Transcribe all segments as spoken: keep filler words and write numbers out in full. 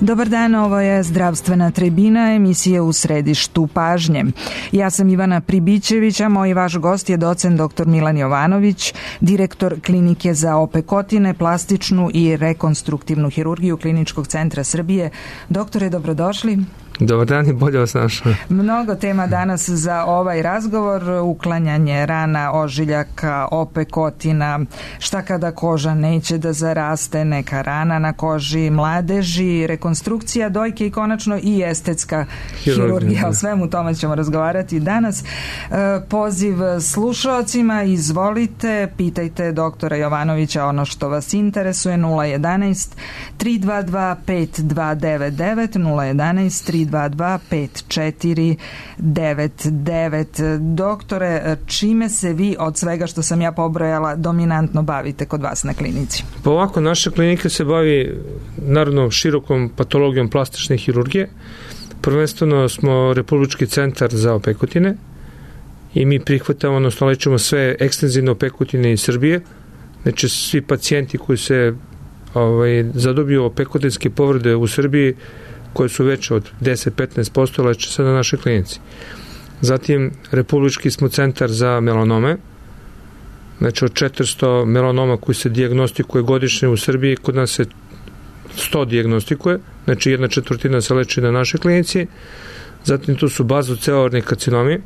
Dobar dan, ovo je Zdravstvena tribina, emisija u središtu pažnje. Ja sam Ivana Pribićević, a moj vaš gost je docent doktor Milan Jovanović, direktor Klinike za opekotine, plastičnu i rekonstruktivnu hirurgiju Kliničkog centra Srbije. Doktore, dobrodošli. Dobar dan i bolje vas našao. Mnogo tema danas za ovaj razgovor, uklanjanje rana, ožiljaka, opekotina, šta kada koža neće da zaraste, neka rana na koži mladeži, rekonstrukcija dojke i konačno i estetska hirurgija. O svemu tome ćemo razgovarati danas. Poziv slušaocima, izvolite, pitajte doktora Jovanovića ono što vas interesuje, nula jedanaest tri dva dva pet dva devet devet, nula jedanaest tri dva dva pet četiri devet devet. Doktore, čime se vi od svega što sam ja pobrojala dominantno bavite kod vas na klinici? Pa ovako, naša klinika se bavi naravno širokom patologijom plastične hirurgije. Prvenstveno smo Republički centar za opekotine i mi prihvatamo, odnosno lečimo sve ekstenzivne opekotine iz Srbije. Znači svi pacijenti koji se ovaj, zadobiju opekotinske povrede u Srbiji koje su veće od deset do petnaest posto leče se na našoj klinici. Zatim, Republički smo centar za melanome, znači od četiristo melanoma koji se dijagnostikuje godišnje u Srbiji, kod nas se sto dijagnostikuje, znači jedna četvrtina se leči na našoj klinici. Zatim tu su bazocelularni karcinomi,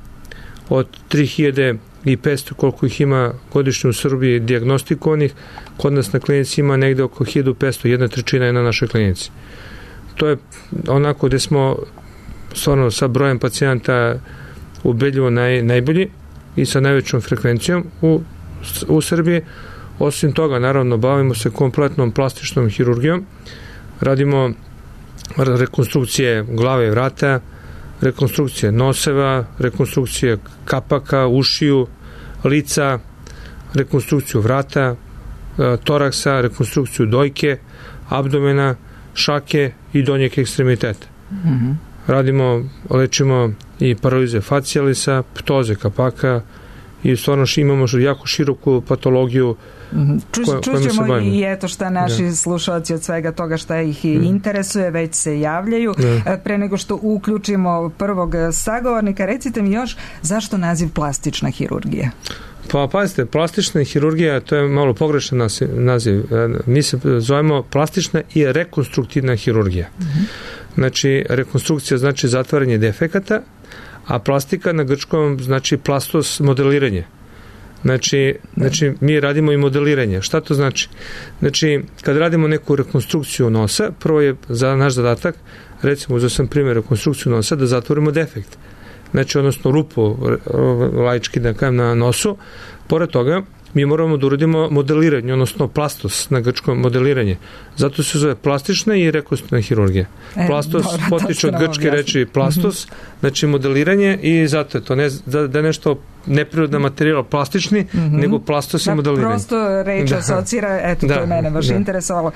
od tri hiljade petsto koliko ih ima godišnje u Srbiji dijagnostikovanih, kod nas na klinici ima negde oko hiljadu petsto, jedna trećina je na našoj klinici. To je onako gde smo stvarno sa brojem pacijenta ubedljivo naj, najbolji i sa najvećom frekvencijom u, u Srbiji. Osim toga, naravno, bavimo se kompletnom plastičnom hirurgijom. Radimo rekonstrukcije glave i vrata, rekonstrukcije noseva, rekonstrukcije kapaka, ušiju, lica, rekonstrukciju vrata, toraksa, rekonstrukciju dojke, abdomena, šake i donjeg ekstremiteta. Mm-hmm. Radimo, lečimo i paralize facijalisa, ptoze kapaka i stvarno imamo jako široku patologiju. Mm-hmm. Ču, koja, čućemo i eto šta naši da. slušalci od svega toga šta ih mm. interesuje, već se javljaju. Da. Pre nego što uključimo prvog sagovornika, recite mi još zašto naziv plastična hirurgija? Pa pazite, plastična hirurgija, to je malo pogrešan naziv. Mi se zovemo plastična i rekonstruktivna hirurgija. Mm-hmm. Znači, rekonstrukcija znači zatvaranje defekata, a plastika na grčkom znači plastos, modeliranje. Znači, znači, mi radimo i modeliranje. Šta to znači? Znači, kad radimo neku rekonstrukciju nosa, prvo je za naš zadatak, recimo, uzeo sam primjer rekonstrukciju nosa, da zatvorimo defekt. Znači, odnosno rupu laički da kajem na nosu. Pored toga, mi moramo da uradimo modeliranje, odnosno plastos na grčkom modeliranje. Zato se zove plastična i rekonstruktivna hirurgija. E, plastos dobro, potiče od grčke reči plastos, mm-hmm. znači modeliranje i zato je to ne, da, da je nešto neprirodna materijala plastični, mm-hmm. nego plastos da, i modeliranje. Prosto reč da. asocira, eto da, to je mene baš da. interesovalo.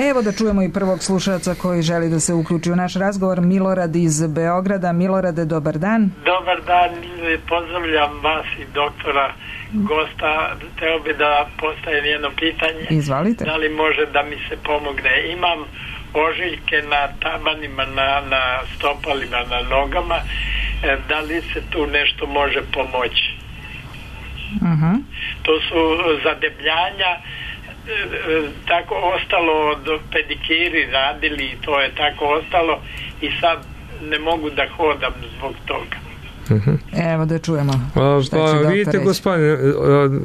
Evo da čujemo i prvog slušaoca koji želi da se uključi u naš razgovor, Milorad iz Beograda. Milorade, dobar dan. Dobar dan, pozdravljam vas i doktora gosta, teo bi da postavim jedno pitanje. Izvalite. Da li može da mi se pomogne? Imam ožiljke na tabanima, na, na stopalima, na nogama. Da li se tu nešto može pomoći? Uh-huh. To su zadebljanja, tako ostalo od pedikiri radili i to je tako ostalo i sad ne mogu da hodam zbog toga. Uh-huh. Evo da čujemo. A, pa vidite gospodine,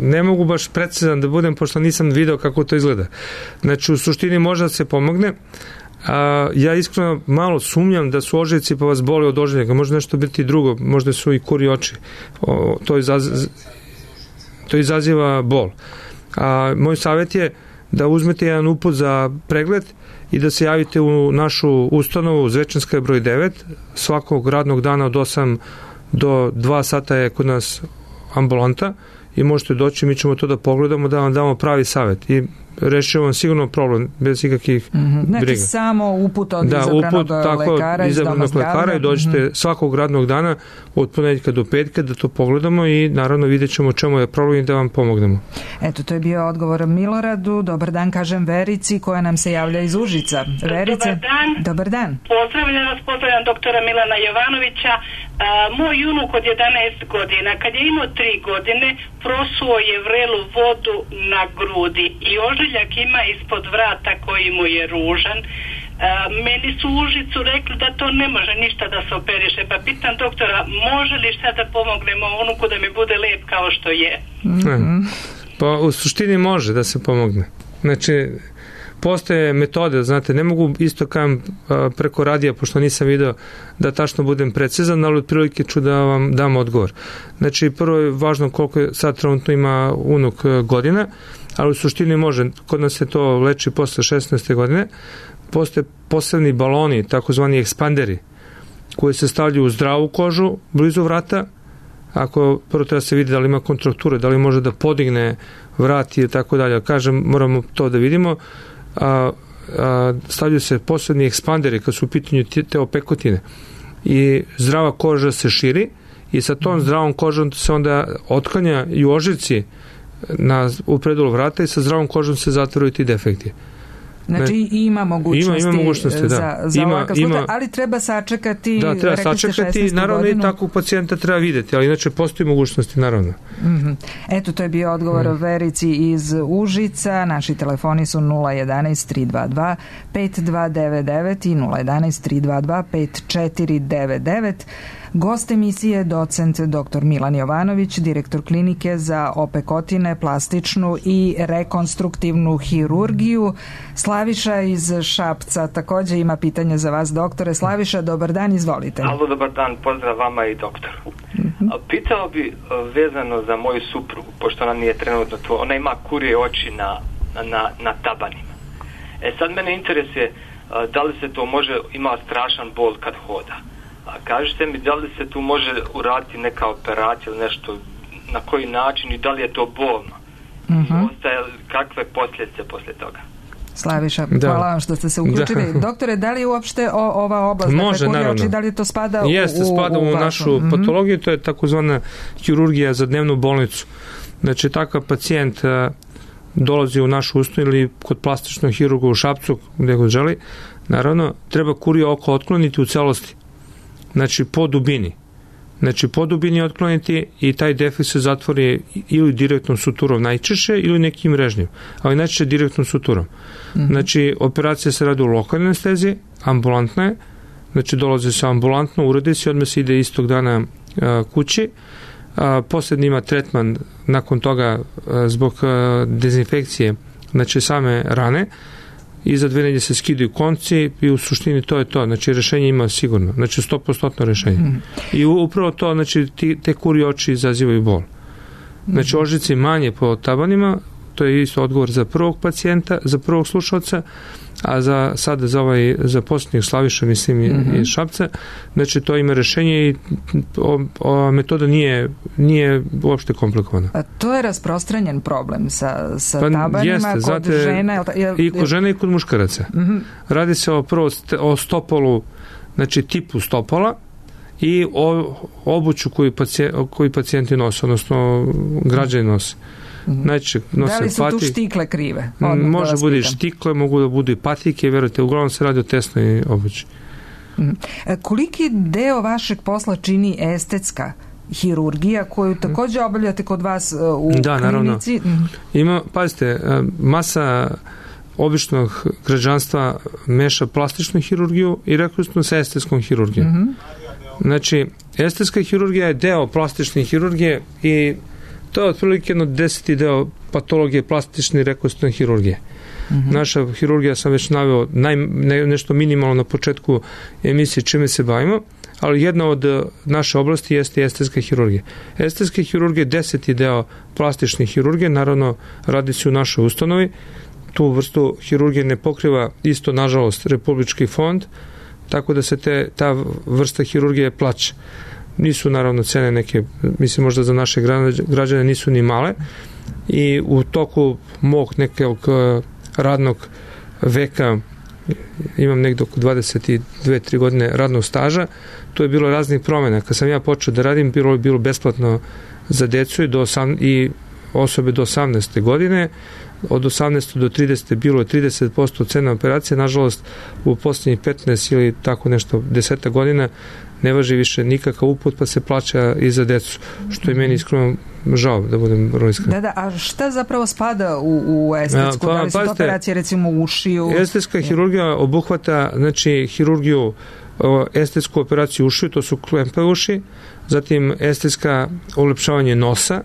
ne mogu baš precizan da budem pošto nisam video kako to izgleda. Znači u suštini može da se pomogne. A, ja iskreno malo sumnjam da su ožiljci pa vas boli od ožiljaka, može nešto biti drugo, možda su i kuri oči. O, to, izaz, to izaziva bol. A, moj savjet je da uzmete jedan uput za pregled i da se javite u našu ustanovu Zvečanska je broj devet, svakog radnog dana od osam do dva sata je kod nas ambulanta i možete doći, mi ćemo to da pogledamo, da vam damo pravi savjet i rešimo vam sigurno problem bez ikakvih mm-hmm. briga. Znači samo uput od da, izabranog uput, tako, lekara iz doma zdravlja. Lekara i dođete mm-hmm. svakog radnog dana od ponedjeljka do petka da to pogledamo i naravno vidjet ćemo čemu je problem i da vam pomognemo. Eto, to je bio odgovor Miloradu. Dobar dan, kažem Verici koja nam se javlja iz Užica. Verice, dobar dan. Dobar dan. Pozdravljam vas, pozdravljam doktora Milana Jovanovića. A, moj unuk od jedanaest godina, kad je imao tri godine, prosuo je vrelu vodu na grudi i ožiljak ima ispod vrata koji mu je ružan. A, meni su u Užicu rekli da to ne može ništa da se operiše, pa pitam doktora, može li šta da pomognemo unuku da mi bude lep kao što je? Mm-hmm. Pa u suštini može da se pomogne. Znači, postoje metode, znate, ne mogu isto kam preko radija, pošto nisam video da tačno budem precizan, ali otprilike ću da vam dam odgovor. Znači, prvo je važno koliko je sad trenutno ima unuk godina, ali u suštini može, kod nas se to leči posle šesnaeste godine, postoje posebni baloni, takozvani ekspanderi, koji se stavljaju u zdravu kožu, blizu vrata, ako prvo treba se vidi da li ima kontrakture, da li može da podigne vrat i tako dalje. Kažem, moramo to da vidimo. A, a, stavljaju se posebni ekspanderi kad su u pitanju te opekotine i zdrava koža se širi i sa tom zdravom kožom se onda otklanja i ožiljci na, u predelu vrata i sa zdravom kožom se zatvaraju ti defekti. Znači ne, ima mogućnosti, ima, ima mogućnosti da. za, za ima, ovakav slučaj, ima, ali treba sačekati, da, treba sačekati, naravno godinu. I takvog pacijenta treba videti, ali inače postoji mogućnosti, naravno. Mm-hmm. Eto, to je bio odgovor mm. Verici iz Užica. Naši telefoni su nula jedanaest tri dva dva pet dva devet devet i nula jedanaest tri dva dva pet četiri devet devet. Gost emisije docent doktor Milan Jovanović, direktor klinike za opekotine, plastičnu i rekonstruktivnu hirurgiju. Slaviša iz Šapca također ima pitanje za vas, doktore. Slaviša, dobar dan, izvolite. Alo, dobar dan, pozdrav vama i doktoru. Mm-hmm. Pitao bi vezano za moju suprugu, pošto ona nije trenutno tu, ona ima kurje oči na, na, na tabanima. E sad mene interesuje da li se to može, ima strašan bol kad hoda. A kažete mi da li se tu može uraditi neka operacija ili nešto, na koji način i da li je to bolno? Mm-hmm. I ostaje kakve posljedice poslije toga? Slaviša, da. Hvala vam što ste se uključili. Da. Doktore, da li uopšte o, ova oblast, može, dakle, oči, da li to spada Jeste, u, spada u, u našu mm-hmm. patologiju, to je takozvana hirurgija za dnevnu bolnicu. Znači, takav pacijent a, dolazi u našu ustanovu ili kod plastičnog hirurga u Šapcu, gdje god želi, naravno, treba kurije oko otkloniti u celosti. Znači, po dubini. Znači, po dubini otkloniti i taj defekt se zatvori ili direktnom suturom najčešće ili nekim mrežnjim, ali najčešće direktnom suturom. Mm-hmm. Znači, operacija se radi u lokalnoj anesteziji, ambulantna je, znači dolazi se ambulantno, uradi se i odmah se ide istog dana a, kući. A, posljednji ima tretman nakon toga a, zbog a, dezinfekcije, znači same rane, i za dve nedjelje se skidaju konci i u suštini to je to. Znači, rješenje ima sigurno. Znači, sto posto rješenje. Mm. I upravo to, znači, ti, te kurje oči izazivaju bol. Znači, ožiljci manje po tabanima, to je isto odgovor za prvog pacijenta, za prvog slušalca, a za sada za ovaj, za posljednjeg Slaviša, mislim, mm-hmm. iz Šapca, znači, to ima rješenje i o, o, metoda nije, nije uopšte komplikovana. A to je rasprostranjen problem sa, sa pa, tabanima jeste, kod znate, žena? Jel, i kod žena i kod muškaraca. Mm-hmm. Radi se o prvo o stopolu, znači tipu stopola i o obuću koju, pacijent, koju pacijenti nose, odnosno građani nose. Znači, da li su patik, tu štikle krive? Može da bude štikle, mogu da budu i patike, vjerujte, uglavnom se radi o tesnoj obući. Koliki deo vašeg posla čini estetska hirurgija koju također obavljate kod vas u da, klinici? Naravno. Ima, pazite, masa običnog građanstva meša plastičnu hirurgiju i rekonstruktivnu sa estetskom hirurgijom. Mm-hmm. Znači, estetska hirurgija je deo plastične hirurgije i to je otprilike jedno deseti deo patologije plastične i rekonstruktivne hirurgije. Mm-hmm. Naša hirurgija, sam već naveo naj, ne, nešto minimalno na početku emisije čime se bavimo, ali jedna od naše oblasti jeste estetska hirurgija. Estetska hirurgija je deseti deo plastične hirurgije, naravno radi se u našoj ustanovi. Tu vrstu hirurgije ne pokriva isto, nažalost, Republički fond, tako da se te, ta vrsta hirurgije plaća. nisu naravno cene neke, mislim možda za naše građane nisu ni male, i u toku mog nekog radnog veka, imam nekdo oko dvadeset dve tri godine radnog staža, to je bilo raznih promjena. Kad sam ja počeo da radim, bilo je bilo besplatno za decu i, do osam, i osobe do osamnaeste godine, od osamnaeste do tridesete bilo je trideset posto cena operacije, nažalost u posljednjih petnaest ili tako nešto deseta godina ne važi više nikakav uput, pa se plaća i za decu, što je meni iskreno žao, da budem vrlo iskren. Da, da, a šta zapravo spada u, u estetsku? Pa, da li su to pazite, operacije recimo u ušiju? Estetska hirurgija obuhvata, znači, hirurgiju, estetsku operaciju ušiju, to su klempe uši, zatim estetska ulepšavanje nosa,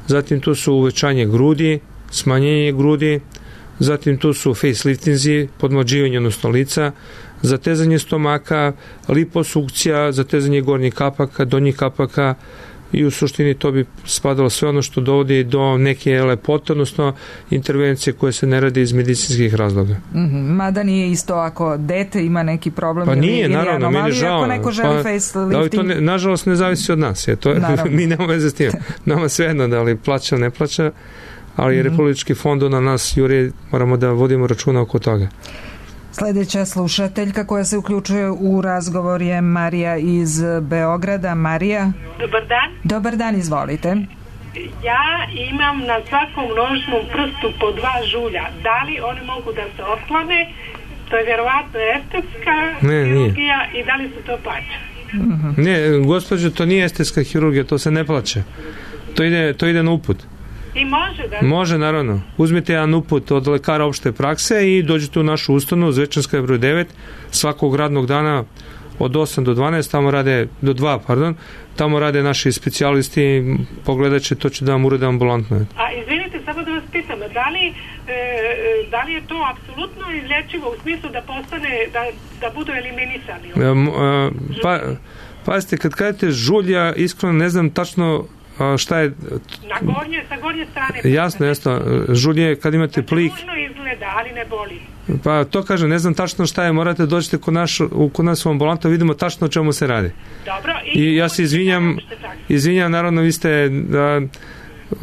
zatim tu su uvećanje grudi, smanjenje grudi, zatim tu su faceliftinzi, podmlađivanje odnosno lica, zatezanje stomaka, liposukcija, zatezanje gornjih kapaka, donjih kapaka, i u suštini to bi spadalo sve ono što dovodi do neke lepote, odnosno intervencije koje se ne rade iz medicinskih razloga. Mm-hmm. Mada nije isto ako dete ima neki problem, pa nije, ili naravno, anomalije, meni žao. Ako neko želi pa, facelifting. To ne, nažalost ne zavisi od nas. Je, to, mi nemamo veze s tim. Nama svejedno da li plaća, ne plaća, ali mm-hmm. Republički fond na nas juri, moramo da vodimo računa oko toga. Sljedeća slušateljka koja se uključuje u razgovor je Marija iz Beograda. Marija? Dobar dan. Dobar dan, izvolite. Ja imam na svakom nožnom prstu po dva žulja. Da li oni mogu da se otklone? To je vjerovatno estetska ne, hirurgija nije. I da li se to plaća? Uh-huh. Ne, gospođo, to nije estetska hirurgija, to se ne plaća. To ide, to ide na uput. I može da... Može, naravno. Uzmite jedan uput od lekara opšte prakse i dođete u našu ustanovu, Zvečanska je broj devet, svakog radnog dana od osam do dvanaest, tamo rade, do dva, pardon, tamo rade naši specijalisti, pogledat će, to će da vam urede ambulantno. A izvinite, samo da vas pitam, da li, e, da li je to apsolutno izlječivo u smislu da postane, da, da budu eliminisani? E, e, pa, pazite, kad kažete žulja, iskreno ne znam tačno šta je... Na gornje, sa gornje strane. Jasno, jasno. Žulje, kad imate plik... Znači, ružno izgleda, ali ne boli. Pa to kažem, ne znam tačno šta je, morate dođete kod, naš, kod nas u ambulantu, vidimo tačno o čemu se radi. Dobro. I, I ja se izvinjam, izvinjam, naravno, vi ste... Da,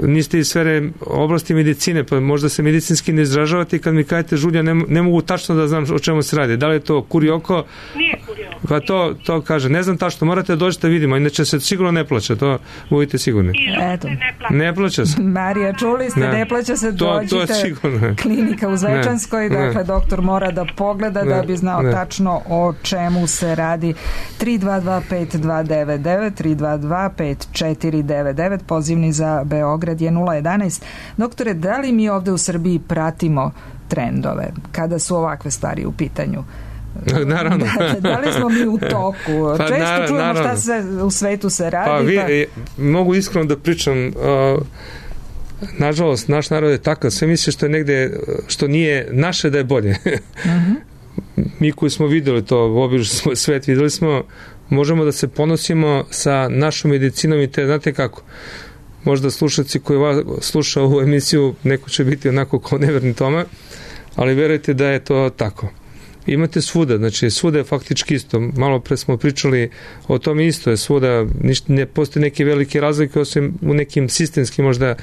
niste iz sfere oblasti medicine, pa možda se medicinski ne izražavate i kad mi kažete žulja, ne, ne mogu tačno da znam o čemu se radi. Da li je to kurioko? Nije kurioko. Pa to, to kaže, ne znam tačno, morate da dođete vidimo, inače se sigurno ne plaća, to budite sigurni. I žulj se ne plaća. Ne plaća se. Marija, čuli ste, ne, ne plaća se, dođite, to, to klinika u Zvečanskoj, ne, dakle, ne. Doktor mora da pogleda ne, da bi znao ne. tačno o čemu se radi. tri dva dva pet dva devet devet, tri dva dva pet četiri devet devet, pozivni za Beograd je nula jedanaest. Doktore, da li mi ovde u Srbiji pratimo trendove kada su ovakve stvari u pitanju? Naravno. Da, da li smo mi u toku? Pa, često naravno, čujemo šta se u svetu se radi. Pa, vi, pa... mogu iskreno da pričam, uh, nažalost, naš narod je takav, sve misli što je negde, što nije naše da je bolje. Uh-huh. Mi koji smo videli to, obično svet videli smo, možemo da se ponosimo sa našom medicinom i te, znate kako, možda slušalci koji vas sluša ovu emisiju, neko će biti onako kao neverni Toma, ali verujte da je to tako. Imate svuda, znači svuda je faktički isto. Malo pre smo pričali o tom isto je svuda, ništa, ne postoje neke velike razlike osim u nekim sistemskim možda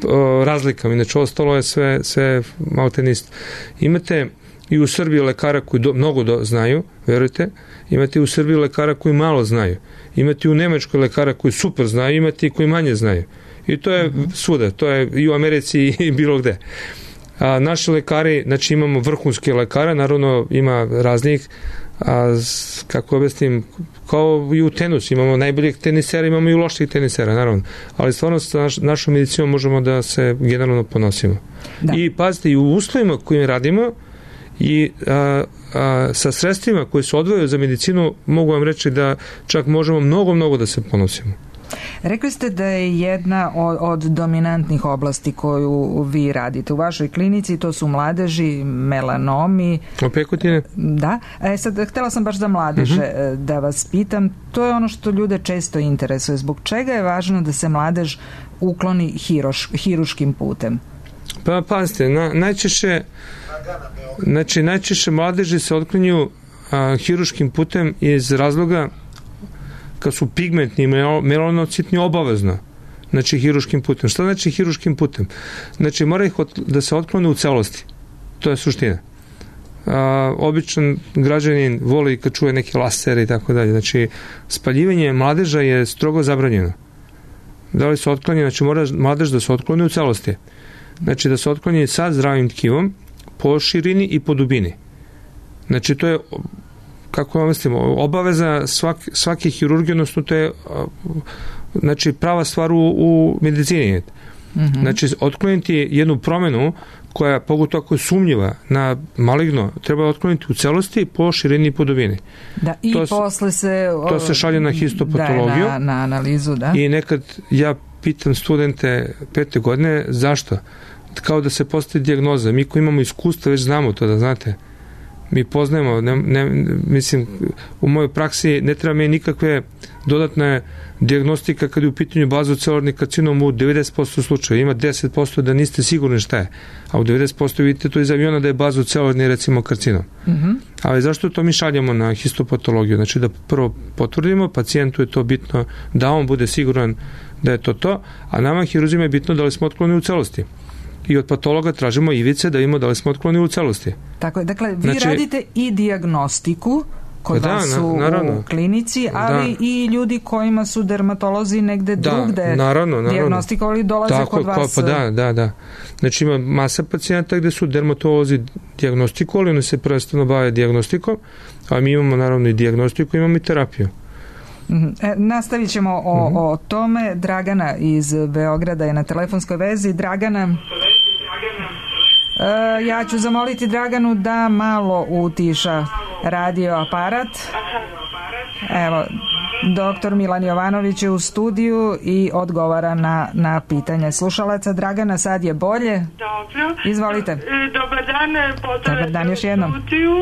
o, razlikama. Inače ostalo je sve, sve malo te isto. Imate i u Srbiji lekara koji do, mnogo do, znaju, verujte, imate i u Srbiji lekara koji malo znaju. Imate i u Nemačkoj lekara koji super znaju, imate i koji manje znaju. I to je svuda, to je i u Americi i bilo gde. A naši lekari, znači imamo vrhunske lekare, naravno ima raznih, a, kako objasnim, kao i u tenisu, imamo najboljih tenisera, imamo i loših tenisera, naravno. Ali stvarno sa naš, našom medicinom možemo da se generalno ponosimo. Da. I pazite, i u uslovima kojim radimo, i a, a, sa sredstvima koje se odvojaju za medicinu, mogu vam reći da čak možemo mnogo, mnogo da se ponosimo. Rekli ste da je jedna od, od dominantnih oblasti koju vi radite u vašoj klinici, to su mladeži, melanomi. Opekotine? Da. E sad, htjela sam baš za mladeže uh-huh. da vas pitam. To je ono što ljude često interesuje. Zbog čega je važno da se mladež ukloni hiroš, hiruškim putem? Pa, pazite, na, najčešće znači, najčešće mladeži se otklanju a, hiruškim putem iz razloga kad su pigmentni i melanocitni obavezno, znači hiruškim putem. Šta znači hiruškim putem? Znači mora ih od, da se otklone u celosti. To je suština. A, običan građanin voli kad čuje neke lasere i tako dalje. Znači spaljivanje mladeža je strogo zabranjeno. Da li se otkloni? Znači mora mladež da se otkloni u celosti. Znači da se otkloni sa zdravim tkivom po širini i po dubini. Znači to je, kako vam mislimo, obaveza svak, svake hirurgije, odnosno to je znači prava stvar u, u medicini. Mm-hmm. Znači otkloniti jednu promenu koja, pogotovo ako je sumnjiva na maligno, treba otkloniti u celosti po širini i po dubini. Da, i to posle se... To se šalje na histopatologiju. Da, na, na analizu, da. I nekad ja pitam studente pete godine, zašto? Kao da se postavi dijagnoza. Mi koji imamo iskustva već znamo to, da znate. Mi poznajemo, ne, ne, mislim, u mojoj praksi ne treba mi nikakve dodatne dijagnostika kad je u pitanju bazocelularni karcinom u devedeset posto slučaja. Ima deset posto da niste sigurni šta je, a u devedeset posto vidite to iz aviona da je bazocelularni recimo karcinom. Mm-hmm. Ali zašto to mi šaljamo na histopatologiju? Znači da prvo potvrdimo, pacijentu je to bitno da on bude siguran da je to to, a nama hiruzima je bitno da li smo otklonili u celosti. I od patologa tražimo ivice da vidimo da li smo otklonili u celosti. Tako je, dakle, vi znači, radite i dijagnostiku kod da, vas u, u klinici, ali da. I ljudi kojima su dermatolozi negde da, drugde naravno, naravno. dijagnostikovali dolaze tako, kod vas. Pa da, da, da. Znači ima masa pacijenta gde su dermatolozi dijagnostikovali, oni se prvenstveno bave dijagnostikom, a mi imamo naravno i dijagnostiku, imamo i terapiju. E, nastavit ćemo o, uh-huh. o tome. Dragana iz Beograda je na telefonskoj vezi. Dragana, e, ja ću zamoliti Draganu da malo utiša radio aparat. Evo, doktor Milan Jovanović je u studiju i odgovara na, na pitanje slušalaca. Dragana, sad je bolje? Dobro. Izvolite. Dobar dan, Dobar dan još jednom. Studiju.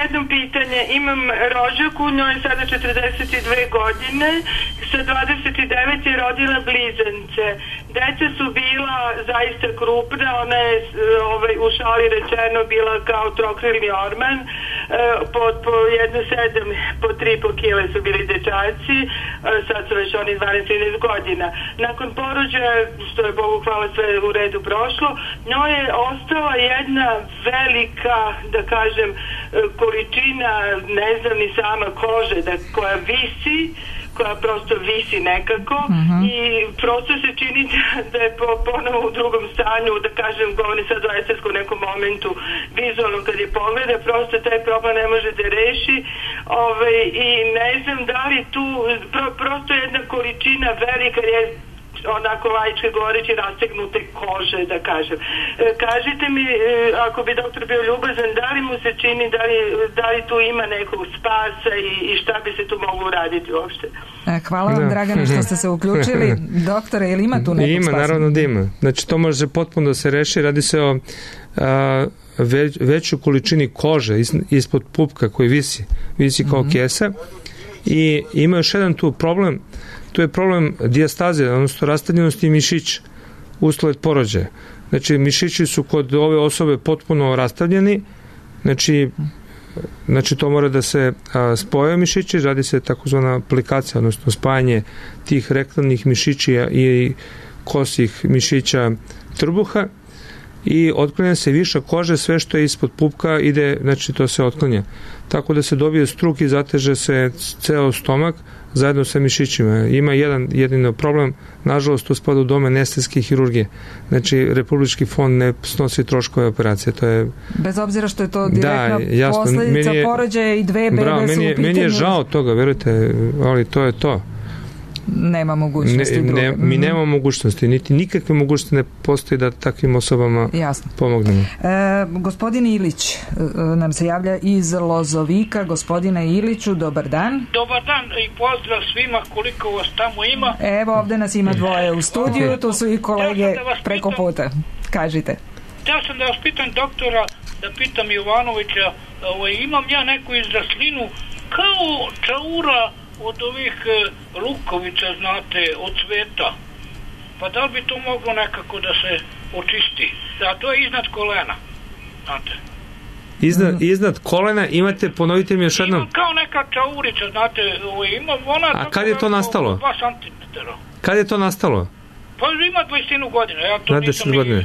Jedno pitanje. Imam rođaku, njoj je sada četrdeset dve godine, sa dvadeset devet je rodila blizance. Deca su bila zaista krupna, ona je ovaj, u šali rečeno bila kao trokrilni orman, po, po jedno sedam, po tri po kile su bili dečaci, sad su već oni dvanaest trinaest godina. Nakon porođaja, što je Bogu hvala sve u redu prošlo, njoj je ostala jedna velika, da kažem, količina, ne znam ni sama, kože da, koja visi, koja prosto visi nekako uh-huh. i prosto se čini da, da je po, ponovo u drugom stanju, da kažem, govori sad o estetskom nekom momentu, vizualno kad je pogleda, prosto taj problem ne može da reši. Ove, i ne znam da li tu pro, prosto jedna količina velika je onako laički govoreći rastegnute kože, da kažem. E, kažite mi, e, ako bi doktor bio ljubazan, da li mu se čini, da li, da li tu ima nekog spasa i, i šta bi se tu moglo uraditi uopšte? Hvala vam, Dragana, što ste se uključili. Doktore, ili ima tu nekog ima, spasa? Ima, naravno da ima. Znači, to može potpuno da se reši. Radi se o a, već, većoj količini kože is, ispod pupka koji visi. Visi kao mm-hmm. kesa. I ima još jedan tu problem. To je problem dijastaze, odnosno rastavljenosti mišića usled porođaja. Znači, mišići su kod ove osobe potpuno rastavljeni, znači, znači to mora da se a, spoje mišići, radi se takozvana aplikacija, odnosno spajanje tih rektalnih mišića i kosih mišića trbuha i otklanja se viša kože, sve što je ispod pupka ide, znači to se otklanja. Tako da se dobije struk i zateže se ceo stomak zajedno sa mišićima. Ima jedan jedino problem, nažalost to spada u domen estetske hirurgije. Znači Republički fond ne snosi troškove operacije. To je... Bez obzira što je to direktna da, jasno, posledica porođaja i dve bebe bravo, su meni je, u pitanju. Meni je žao toga, verujte, ali to je to. Nema mogućnosti ne, ne, mi nemamo mogućnosti, niti nikakve mogućnosti ne postoji da takvim osobama Jasno. pomognemo. E, gospodin Ilić e, nam se javlja iz Lozovika. Gospodine Iliću, dobar dan. Dobar dan i pozdrav svima, koliko vas tamo ima. Evo, ovde nas ima dvoje u studiju, tu su i kolege da preko pitam, puta. Kažite. Ja sam da vas pitam doktora, da pitam Jovanovića, ovaj, imam ja neku izraslinu kao čaura od ovih e, lukovica, znate, od cveta. Pa da li bi to moglo nekako da se očisti? Da, to je iznad kolena, znate. Iznad, mm. iznad kolena imate, ponovite mi još jednom. Ima kao neka čaurica, znate, ima ona... A kad je to nastalo? dva centimetra. Kad je to nastalo? Pa ima dvadeset godina, ja to nisam ni... ni, ni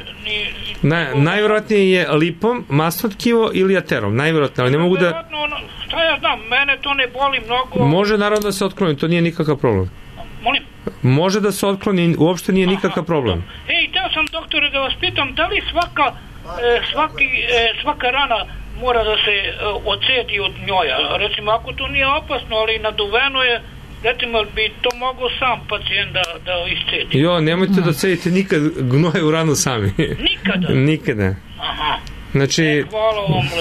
Na, najvjerojatnije je lipom, masno tkivo ili aterom, najvjerojatnije, ali ne mogu da... Ono, šta ja znam, mene to ne boli mnogo... Može naravno da se otkloni, to nije nikakav problem. Molim? Može da se otkloni, uopšte nije nikakav problem. Ej, teo sam, doktore, da vas pitam, da li svaka, e, svaki, e, svaka rana mora da se e, ocedi od njoja? Recimo, ako to nije opasno, ali naduveno je, recimo, bi to mogao sam pacijent da, da iscedi? Jo, nemojte da cedite nikad gnoje u ranu sami. Nikada? Nikada. Aha. Znači, e,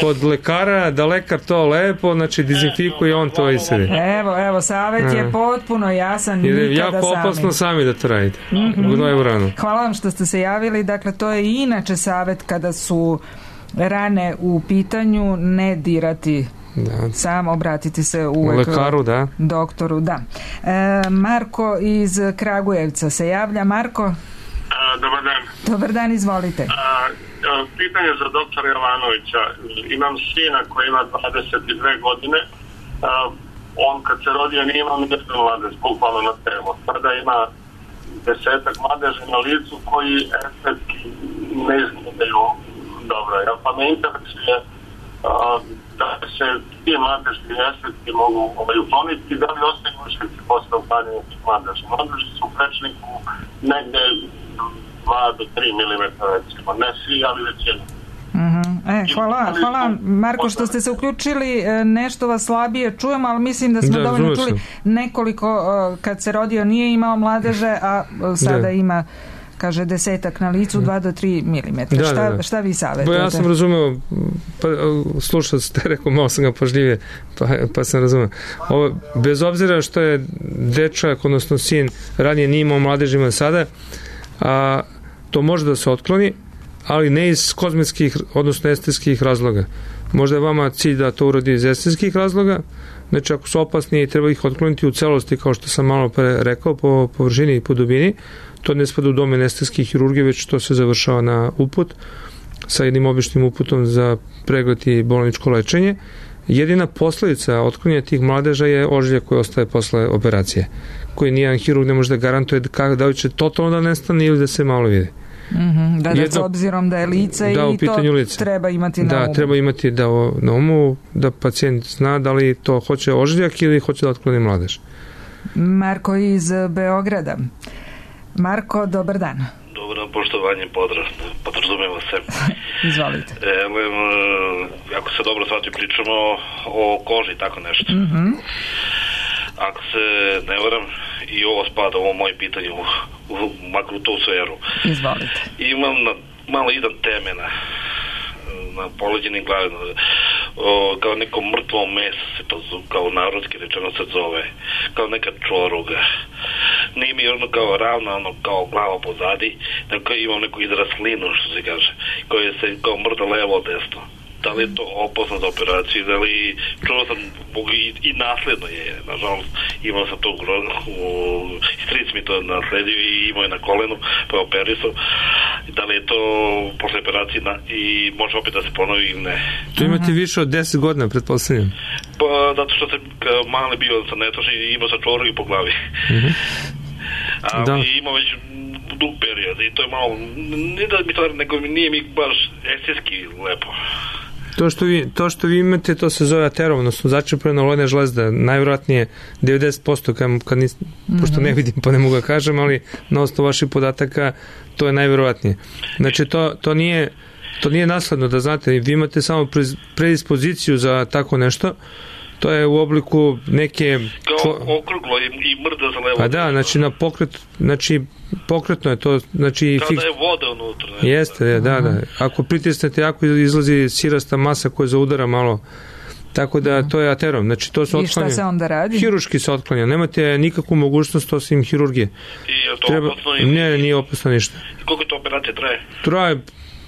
kod lekara, da lekar to lepo, znači, dezinfikuje, on to iscedi. Evo, evo, savjet je potpuno jasan, jer nikada jako sami. opasno sami da to radite. Mm-hmm. Gnoje u ranu. Hvala vam što ste se javili, dakle, to je inače savjet kada su rane u pitanju, ne dirati. Da. Sam obratiti se uvek lekaru, da. doktoru, da. E, Marko iz Kragujevca se javlja. Marko? A, dobar dan. Dobar dan, izvolite. A, a, pitanje za doktora Jovanovića. Imam sina koji ima dvadeset dve godine. A, on kad se rodio nije imao nijednu mladež, bukvalno na telo. Sada ima desetak mladeži na licu koji estetski ne izgledaju dobro. Ja, pa me interesuje da se ti mladežni estetski mogu ovaj, ukloniti, da li ostaju ušlici posle uklanjanja tih mladeža. Mladeži su u prečniku negde dva do tri milimetra, recimo. Ne svi, ali većina. Uh-huh. E, hvala, hvala Marko što ste se uključili, nešto vas slabije čujemo, ali mislim da smo da, dovoljno čuli nekoliko, kad se rodio nije imao mladeže, a sada da. ima, kaže, desetak na licu, dva do tri milimetra. Da, šta, da, da. šta vi savjetujete? Ja sam razumeo, pa, slušao ste, rekao, malo sam ga pažljivije, pa, pa sam razumeo. Ovo, bez obzira što je dečak, odnosno sin, ranije nije imao mladežima sada, a, to može da se otkloni, ali ne iz kozmetskih, odnosno estetskih razloga. Možda je vama cilj da to uradi iz estetskih razloga, znači ako su opasni treba ih otkloniti u celosti, kao što sam malo pre rekao, po površini i po dubini. To ne spada u domen estetske hirurgije, već to se završava na uput sa jednim običnim uputom za pregled i bolničko lečenje. Jedina posledica otklonjenja tih mladeža je ožiljak koji ostaje posle operacije, koji nijedan hirurg ne može da garantuje da li će totalno da nestane ili da se malo vidi. Mm-hmm, da, da, Jedno, s obzirom da je lice da, i to lice. treba imati na da, umu. Da, treba imati da, na umu, da pacijent zna da li to hoće ožiljak ili hoće da otkloni mladež. Marko iz Beograda. Marko, dobar dan. Dobar dan, poštovanje, pozdrav, podrazumeva se. Izvolite. Evo, ako se dobro shvati, pričamo o koži, tako nešto. Mm-hmm. Ako se ne varam, i ovo spada, ovo moje pitanje, u, u, makar u tu sferu. Izvolite. Imam na, malo iznad temena, na poleđenim glavima, kao neko mrtvo meso se to zove, kao narodski rečeno se zove, kao neka čoruga. Nije mi ono kao ravna, ono kao glava pozadi, nego imam neku izraslinu, što se kaže, koje se kao mrda levo desno. Da li je to opasno za operaciju, da li čuo sam i, i nasledno je, nažalost imao sam to u stric mi to nasledio i imao je na kolenu pa je operisao, da li je to posle operacije na, i može opet da se ponovi ili ne. To imate više od deset godina, pretpostavljam? Pa zato što sam mali bio sa netoši i imao sam čoru i po glavi. Mm-hmm. Ali da. Imao već dug period i to je malo, ne da mi to, nego nije mi baš estetski lepo. To što vi, to što vi imate, to se zove aterom, odnosno začepljena lojna žlezda, najvjerojatnije devedeset posto, kad, kad nis, mm-hmm. pošto ne vidim pa ne mogu ga kažem, ali na osnovu vaših podataka to je najvjerojatnije. Znači to, to nije to nije nasledno, da znate, vi imate samo predispoziciju za tako nešto. To je u obliku neke... Kao okruglo i, i mrda za levo. Pa da, znači na pokret, znači pokretno je to, znači... Kao fiks... da je voda unutra. Ne? Jeste, je, da, da. Ako pritisnete jako, izlazi sirasta masa koja zaudara malo. Tako da to je aterom. Znači to se otklanja. I šta se onda radi? Hiruški se otklanja. Nemate nikakvu mogućnost osim hirurgije. I je to Treba... opasno? I... Ne, nije opasno ništa. I koliko to operacija traje? Traje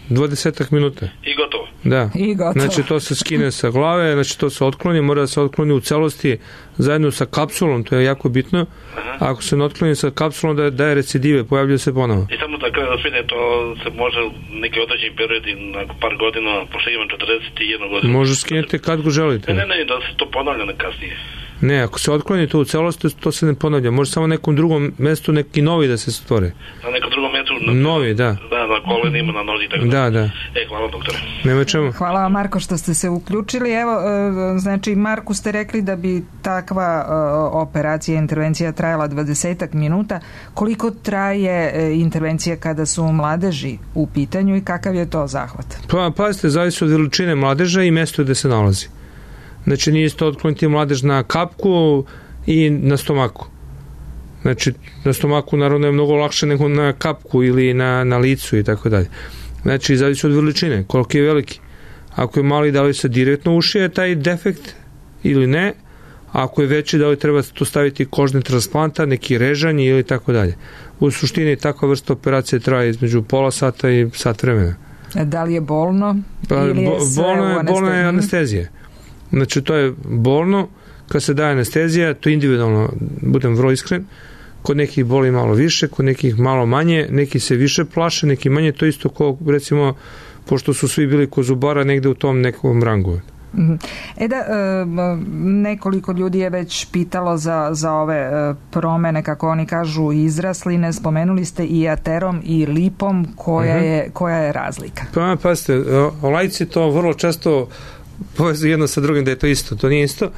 dvadesetak minuta. I gotovo. Da. I gotovo. Znači to se skine sa glave, znači to se otkloni, mora da se otkloni u celosti zajedno sa kapsulom, to je jako bitno. Aha. Ako se ne otkloni sa kapsulom da daje recidive, pojavljuje se ponovo. I samo da kada da svine, to se može neki određeni period i nakon par godina, pošto imam četrdeset jedan godina. Može skinete kad go želite. Ne, ne, ne, da se to ponavlja na kasnije. Ne, ako se otkloni to u celosti, to se ne ponavlja. Može samo na nekom drugom mestu neki novi da se stvore. Na nekom drugom mestu? Na, novi, da. Da, na kolenima, na nozi, tako da. Da, da. E, hvala doktore. Nema čemu. Hvala vam, Marko, što ste se uključili. Evo, znači, Marku ste rekli da bi takva operacija, intervencija trajala dvadesetak minuta. Koliko traje intervencija kada su mladeži u pitanju i kakav je to zahvat? Pa, pazite, zavisi od veličine mladeža i mesto gde se nalazi. Znači, nije isto otkloniti mladež na kapku i na stomaku. Znači, na stomaku naravno je mnogo lakše nego na kapku ili na, na licu i tako dalje. Znači, zavisi od veličine, koliko je veliki. Ako je mali, da li se direktno ušije taj defekt ili ne, a ako je veći, da li treba to staviti kožni transplanta, neki režanj ili tako dalje. U suštini, takva vrsta operacije traje između pola sata i sat vremena. Da li je bolno? Pa, ili je sve bolno je, u bolno je anestezija. Znači, to je bolno, kad se daje anestezija, to individualno, budem vrlo iskren, kod nekih boli malo više, kod nekih malo manje, neki se više plaše, neki manje, to isto kao, recimo, pošto su svi bili kod zubara negde u tom nekom rangu. E da, nekoliko ljudi je već pitalo za, za ove promene, kako oni kažu, izrasline. Spomenuli ste i aterom i lipom, koja, uh-huh. je, koja je razlika? Pa, pazite, laici to vrlo često povezuju jedno sa drugim da je to isto. To nije isto,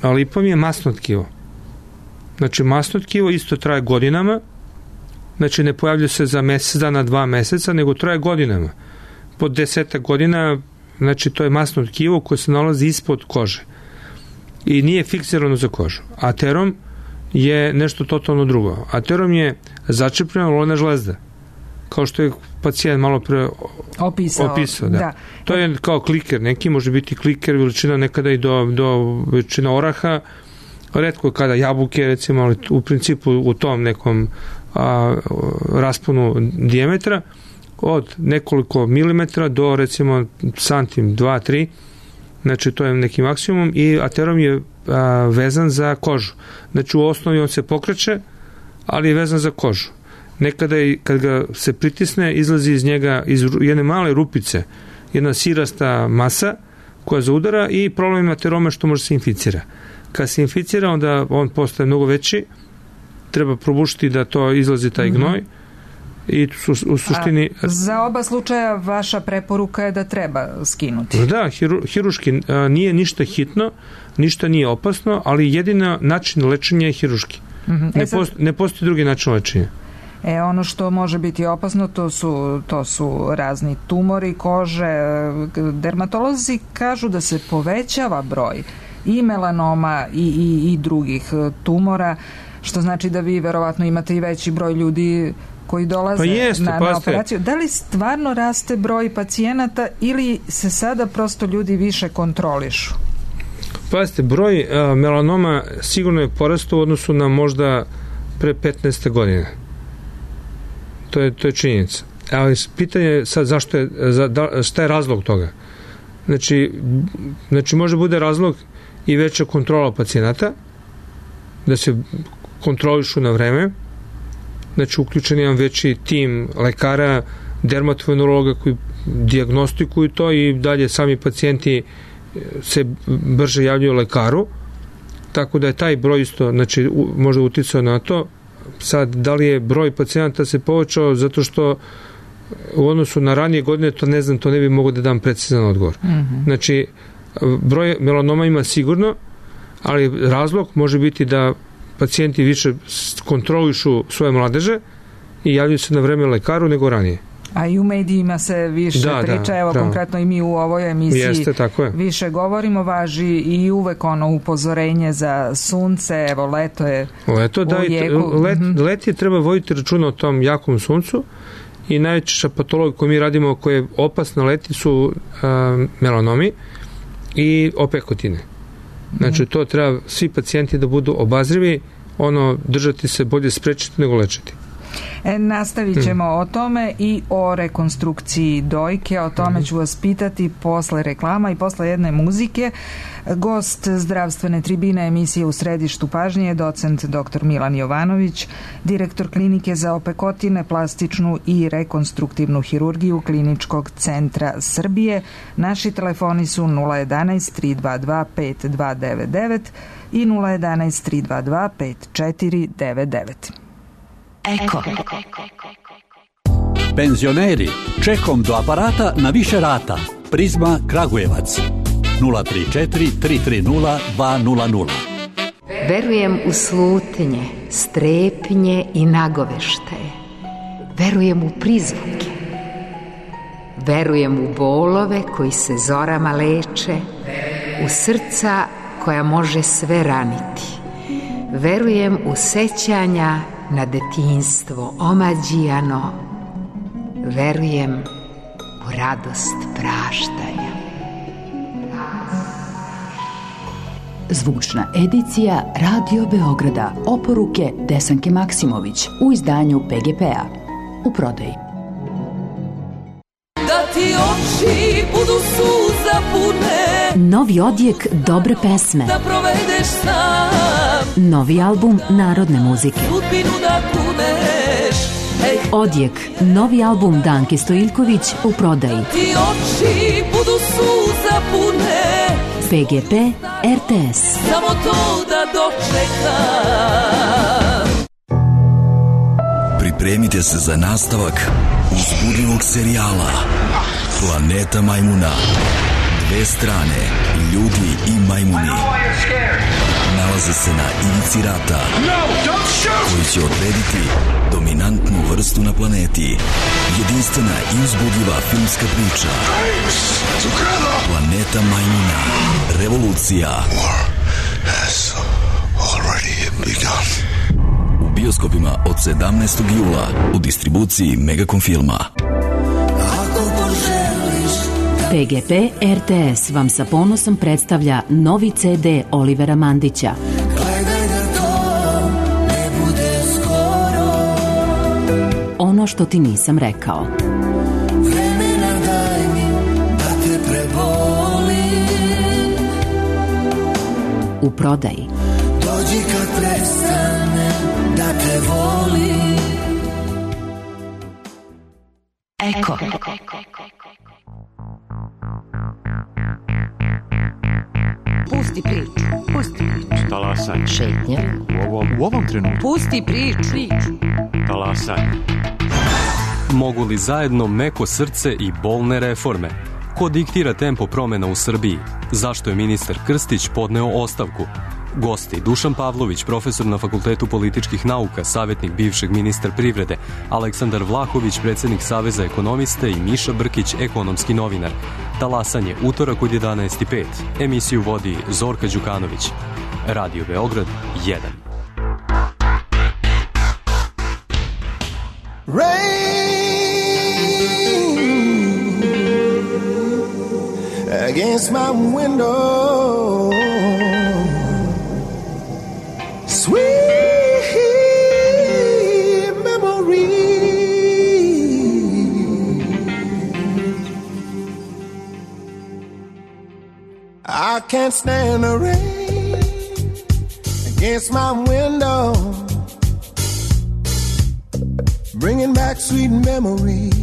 a lipom je masno tkivo. Znači, masno tkivo isto traje godinama, znači ne pojavlja se za mesec dana, dva meseca, nego traje godinama. Po desetak godina, znači to je masno tkivo koje se nalazi ispod kože i nije fiksirano za kožu. Aterom je nešto totalno drugo. Aterom je začepljena lojna žlezda, kao što je pacijent malo pre opisao. opisao da. Da. To je kao kliker, neki može biti kliker veličina nekada i do, do veličina oraha, retko kada jabuke, recimo, ali u principu u tom nekom a, rasponu dijametra od nekoliko milimetra do, recimo, santim, dva, tri, znači to je neki maksimum i aterom je a, vezan za kožu. Znači u osnovi on se pokreće, ali je vezan za kožu. Nekada je, kad ga se pritisne, izlazi iz njega iz jedne male rupice, jedna sirasta masa koja zaudara i problem ateroma što može se inficira. Kad se inficira, onda on postaje mnogo veći, treba probušiti da to izlazi taj gnoj i su, u suštini... A za oba slučaja vaša preporuka je da treba skinuti? Da, hiru, hiruški a, nije ništa hitno, ništa nije opasno, ali jedina način lečenja je hiruški. Mm-hmm. Ne, post, ne postoji drugi način lečenja. E, ono što može biti opasno, to su, to su razni tumori kože. Dermatolozi kažu da se povećava broj i melanoma i, i, i drugih tumora, što znači da vi verovatno imate i veći broj ljudi koji dolaze pa jeste, na, na operaciju. Da li stvarno raste broj pacijenata ili se sada prosto ljudi više kontrolišu? Pazite, broj a, melanoma sigurno je porastao u odnosu na možda pre petnaest godine. To je, to je činjenica. Ali pitanje je sad zašto je, za, da, šta je razlog toga? Znači, znači može bude razlog i veća kontrola pacijenata, da se kontrolišu na vreme, znači uključen je jedan veći tim lekara, dermatovenerologa koji dijagnostikuju to i dalje sami pacijenti se brže javljaju lekaru, tako da je taj broj isto, znači možda uticao na to. Sad, da li je broj pacijenata se povećao zato što u odnosu na ranije godine, to ne znam, to ne bi mogo da dam precizan odgovor. Mm-hmm. Znači, broj melanoma ima sigurno, ali razlog može biti da pacijenti više kontrolišu svoje mladeže i javljaju se na vreme lekaru nego ranije. A i u medijima se više da, priča, da, evo da. Konkretno i mi u ovoj emisiji Jeste, tako je. Više govorimo, važi i uvek ono upozorenje za sunce, evo leto je leto, da, u jeku. Let, let je treba voditi računa o tom jakom suncu i najčešća patologija koju mi radimo koja je opasna leti su a, melanomi i opekotine. Znači to treba svi pacijenti da budu obazrivi, ono držati se bolje sprečiti nego lečiti. E, nastavit ćemo hmm. o tome i o rekonstrukciji dojke, o tome hmm. ću vas pitati posle reklama i posle jedne muzike. Gost zdravstvene tribine emisije U središtu pažnje je docent doktor Milan Jovanović, direktor klinike za opekotine, plastičnu i rekonstruktivnu hirurgiju Kliničkog centra Srbije. Naši telefoni su nula jedanaest tri dva dva pet dva devet devet i nula jedanaest tri dva dva pet četiri devet devet. Eko. Penzioneri, čekom do aparata na više rata. Prizma Kragujevac. nula tri četiri tri tri nula dva nula nula. Verujem u slutnje, strepnje i nagoveštaje. Verujem u prizvuke. Verujem u bolove koji se zorama leče, u srca koja može sve raniti. Verujem u sećanja na detinjstvo omađijano. Verujem u radost praštanja. Zvučna edicija Radio Beograda. Oporuke Desanke Maksimović u izdanju P G P-a. U prodaji. Da ti oči budu suza pune. Novi odjek dobre pesme. Da provedeš sam. Novi album narodne muzike. Sudbinu da kuneš. Ej. Odjek, novi album Danke Stojiljković u prodaji. Da ti oči budu suza pune. P G P R T S. Samo to da dočekam. Pripremite se za nastavak uzbudljivog serijala Planeta majmuna. Dve strane, ljudi i majmuni, nalaze se na ivici rata koji će odrediti dominantnu vrstu na planeti. Jedinstvena i uzbudljiva filmska priča Planeta majmuna. Revolucija. U bioskopima od sedamnaestog jula u distribuciji Megacom filma. P G P R T S vam sa ponosom predstavlja novi C D Olivera Mandića. Ono što ti nisam rekao. Vremena daj mi da te prebolim. U prodaji. Dođi kad prestane da te volim. Eko. Pusti priču, pusti priču. Talasanje. Šetnje. U ovom, u ovom trenutku. Pusti priču. Talasanje. Mogu li zajedno meko srce i bolne reforme? Ko diktira tempo promena u Srbiji? Zašto je ministar Krstić podneo ostavku? Gosti Dušan Pavlović, profesor na Fakultetu političkih nauka, savjetnik bivšeg ministra privrede, Aleksandar Vlahović, predsjednik Saveza ekonomista i Miša Brkić, ekonomski novinar. Talasanje, utorak od jedanaest i pet. Emisiju vodi Zorka Đukanović. Radio Beograd jedan. Rain against my window, sweet memory. I can't stand the rain against my window, bringing back sweet memories.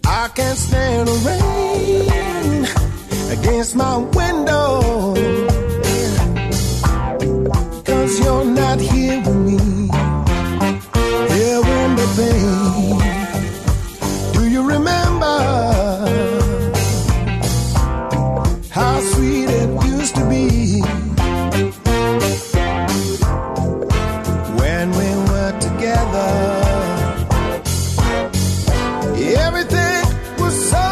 I can't stand the rain against my window, 'cause you're not here with me, here in the pain. Do you remember how sweet it used to be when we were together? Everything was so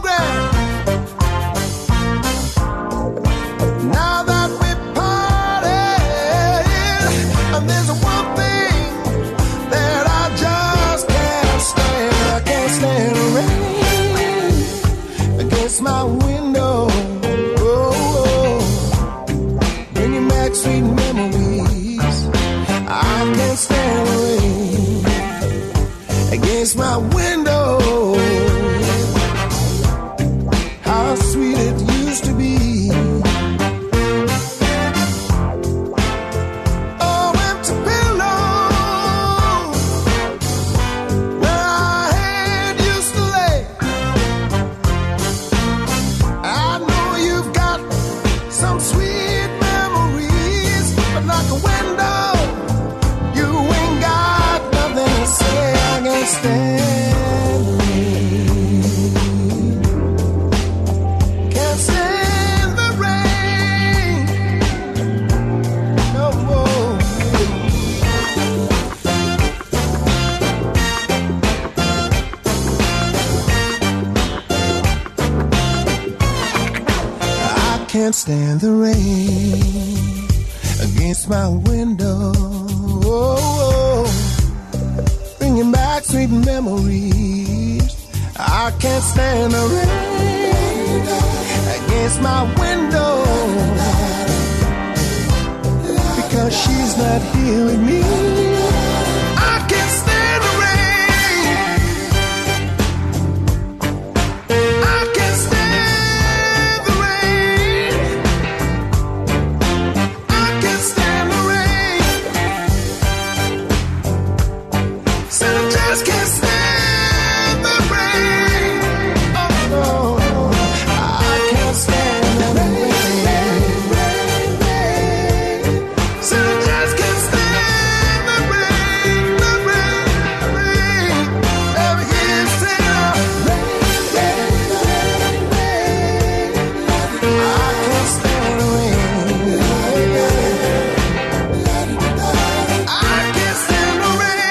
grand. Now that we parted, and there's one thing that I just against my window. How sweet it used to be. Oh, empty pillow where our head used to lay. I know you've got some sweet memories, but like a window, you ain't got nothing to say. I can't stand the rain. Can't stand the rain no more. I can't stand the rain against my window. Oh, bringing back sweet memories. I can't stand the rain against my window because she's not here with me. I can't stand the rain. I can't stand the rain. I can't stand the rain. Said I just can't stand the rain. Oh no, I can't stand the rain. Said I just can't stand the rain, the rain, the rain. Ever hear you say that? Rain, rain, rain, rain. I can't stand the rain. I can't stand the rain.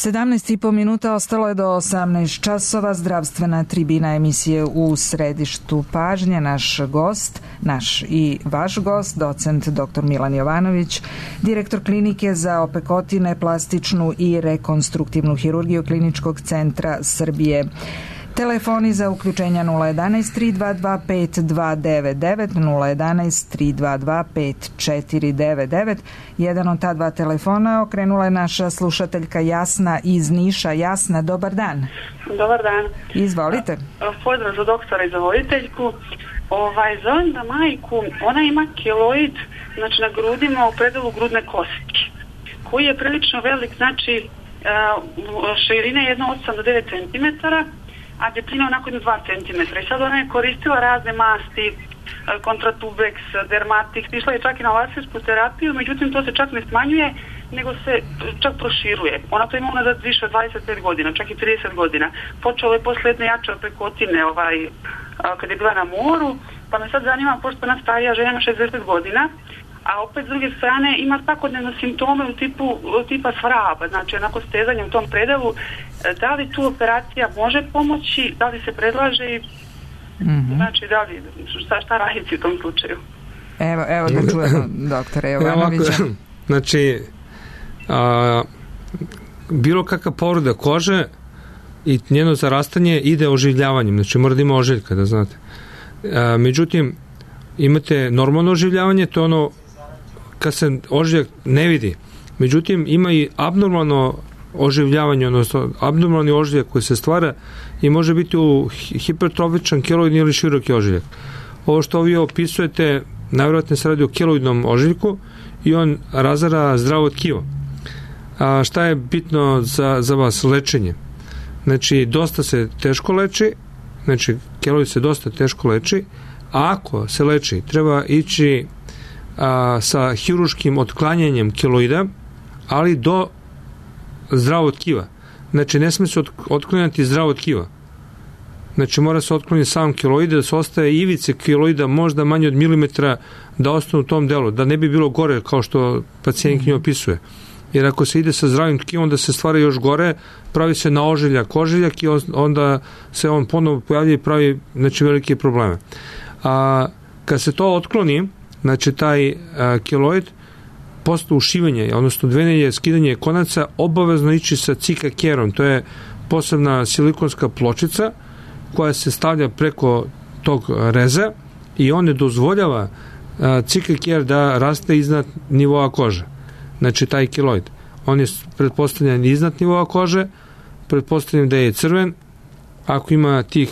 sedamnaest i po minuta ostalo je do osamnaest časova. Zdravstvena tribina emisije u središtu pažnje. Naš gost, naš i vaš gost, docent doktor Milan Jovanović, direktor klinike za opekotine, plastičnu i rekonstruktivnu hirurgiju Kliničkog centra Srbije. Telefoni za uključenja nula jedanaest tri dva dva pet dva devet devet, nula jedanaest tri dva dva pet četiri devet devet. Jedan od ta dva telefona okrenula je naša slušateljka Jasna iz Niša. Jasna, dobar dan. Dobar dan. Izvolite. Pozdrav za doktora i za voditeljku. Ovaj, zovem da majku, ona ima keloid, znači na grudima u predelu grudne kostke, koji je prilično velik, znači širine jedno osam do devet centimetara, a debljina onako jedno dva centimetra. I sad ona je koristila razne masti, kontratubeks, dermatix, išla je čak i na lasersku terapiju, međutim to se čak ne smanjuje, nego se čak proširuje. Ona to ima unazad više od dvadeset pet godina, čak i trideset godina. Počelo je posle jedne jače opekotine, ovaj, kad je bila na moru, pa me sad zanima, pošto ona starija žena ima šezdeset godina, a opet s druge strane ima svakodnevno simptome u tipu tipa svraba, znači onako stezanje u tom predelu. Da li tu operacija može pomoći, da li se predlaže i mm-hmm. znači da li, šta, šta raditi u tom slučaju? Evo, evo da čujemo doktore Jovanovića. Znači, a, bilo kakva povreda kože i njeno zarastanje ide oživljavanjem, znači mora da ima ožiljka, da znate. A, međutim, imate normalno oživljavanje, to je ono kad se ožiljak ne vidi. Međutim, ima i abnormalno oživljavanje, odnosno abnormalni ožiljak koji se stvara i može biti u hipertrofičan keloidni ili široki ožiljak. Ovo što vi opisujete, najvjerojatnije se radi o keloidnom ožiljku i on razara zdravo tkivo. A šta je bitno za, za vas? Lečenje. Znači, dosta se teško leči, znači, keloid se dosta teško leči, a ako se leči, treba ići a, sa hiruškim otklanjanjem keloida, ali do zdravog tkiva. Znači, ne sme se otklanjati zdravo tkiva. Znači, mora se otkloniti sam keloid, da se ostaje ivice keloida možda manje od milimetra da ostane u tom delu, da ne bi bilo gore kao što pacijent knjigo opisuje. Jer ako se ide sa zdravim tkivom, onda se stvara još gore, pravi se na ožiljak, ožiljak i onda se on ponovo pojavlja i pravi, znači, velike probleme. A kad se to otkloni, znači taj a, keloid, posle ušivanja, odnosno dvenjenje, skidanje konaca, obavezno ići sa cikakerom, to je posebna silikonska pločica koja se stavlja preko tog reza i on ne dozvoljava cikaker da raste iznad nivoa kože, znači taj keloid. on je pretpostavljen iznad nivoa kože, pretpostavljam da je crven, ako ima tih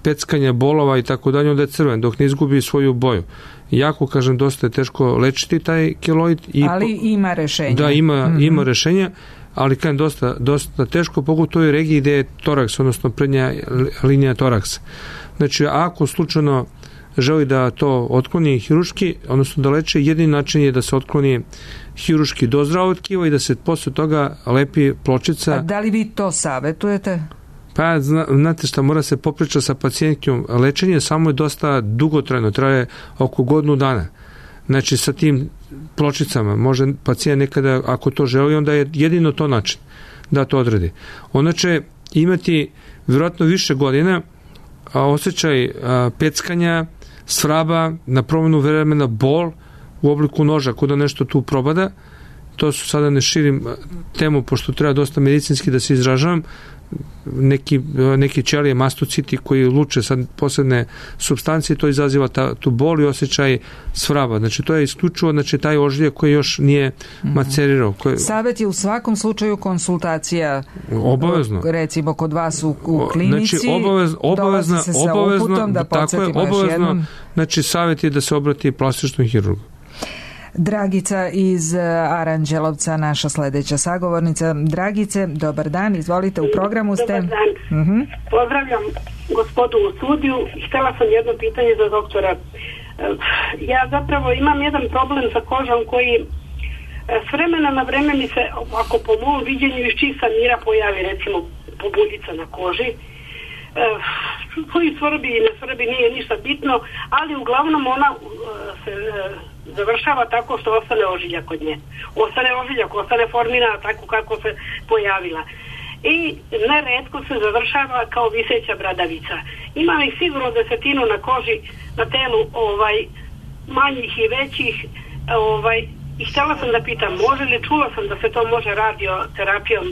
peckanja, bolova i tako dalje, onda je crven, dok ne izgubi svoju boju. Jako, kažem, dosta je teško lečiti taj keloid. I ali ima rešenja. Da, ima, mm-hmm. ima rešenja, ali kažem, dosta, dosta teško, pogotovo u regiji gde je toraks, odnosno prednja linija toraksa. Znači, ako slučajno želi da to otkloni hiruški, odnosno da leče, jedini način je da se otkloni hiruški do zdravog tkiva i da se posle toga lepi pločica. A da li vi to savetujete? Pa, zna, znate šta, mora se popriča sa pacijentkom. Lečenje samo je dosta dugotrajno, traje oko godinu dana. Znači, sa tim pločicama može pacijent nekada, ako to želi, onda je jedino to način da to odredi. Ona će imati vjerojatno više godina a, osjećaj a, peckanja, svraba, na promjenu vremena bol u obliku noža, kuda nešto tu probada. To su sada ne širim temu, pošto treba dosta medicinski da se izražavam, neki, neki ćelije mastociti koji luče sad posebne supstancije, to izaziva ta, tu bol i osjećaj svraba. Znači to je isključivo, znači taj ožiljak koji još nije macerirao. Koji... Savet je u svakom slučaju konsultacija obavezno. Recimo kod vas u, u klinici. Znači obavez, obavezna, se sa obavezno, uputom, da tako je, obavezno, znači savet je da se obrati plastičnom hirurgu. Dragica iz Aranđelovca, naša sledeća sagovornica. Dragice, dobar dan, izvolite, u programu ste. Dobar dan. Uh-huh. Pozdravljam gospodu u studiju. Htela sam jedno pitanje za doktora. Ja zapravo imam jedan problem sa kožom koji s vremena na vreme mi se, ako po mom viđenju iz čista mira pojavi, recimo pobuljica na koži, koji svrbi i ne svrbi, nije ništa bitno, ali uglavnom ona se završava tako što ostane ožiljak kod nje. Ostane ožiljak, ostane formina tako kako se pojavila. I neretko se završava kao viseća bradavica. Ima li sigurno desetinu na koži, na telu ovaj, manjih i većih, ovaj, i htjela sam da pitam, može li, čula sam da se to može radioterapijom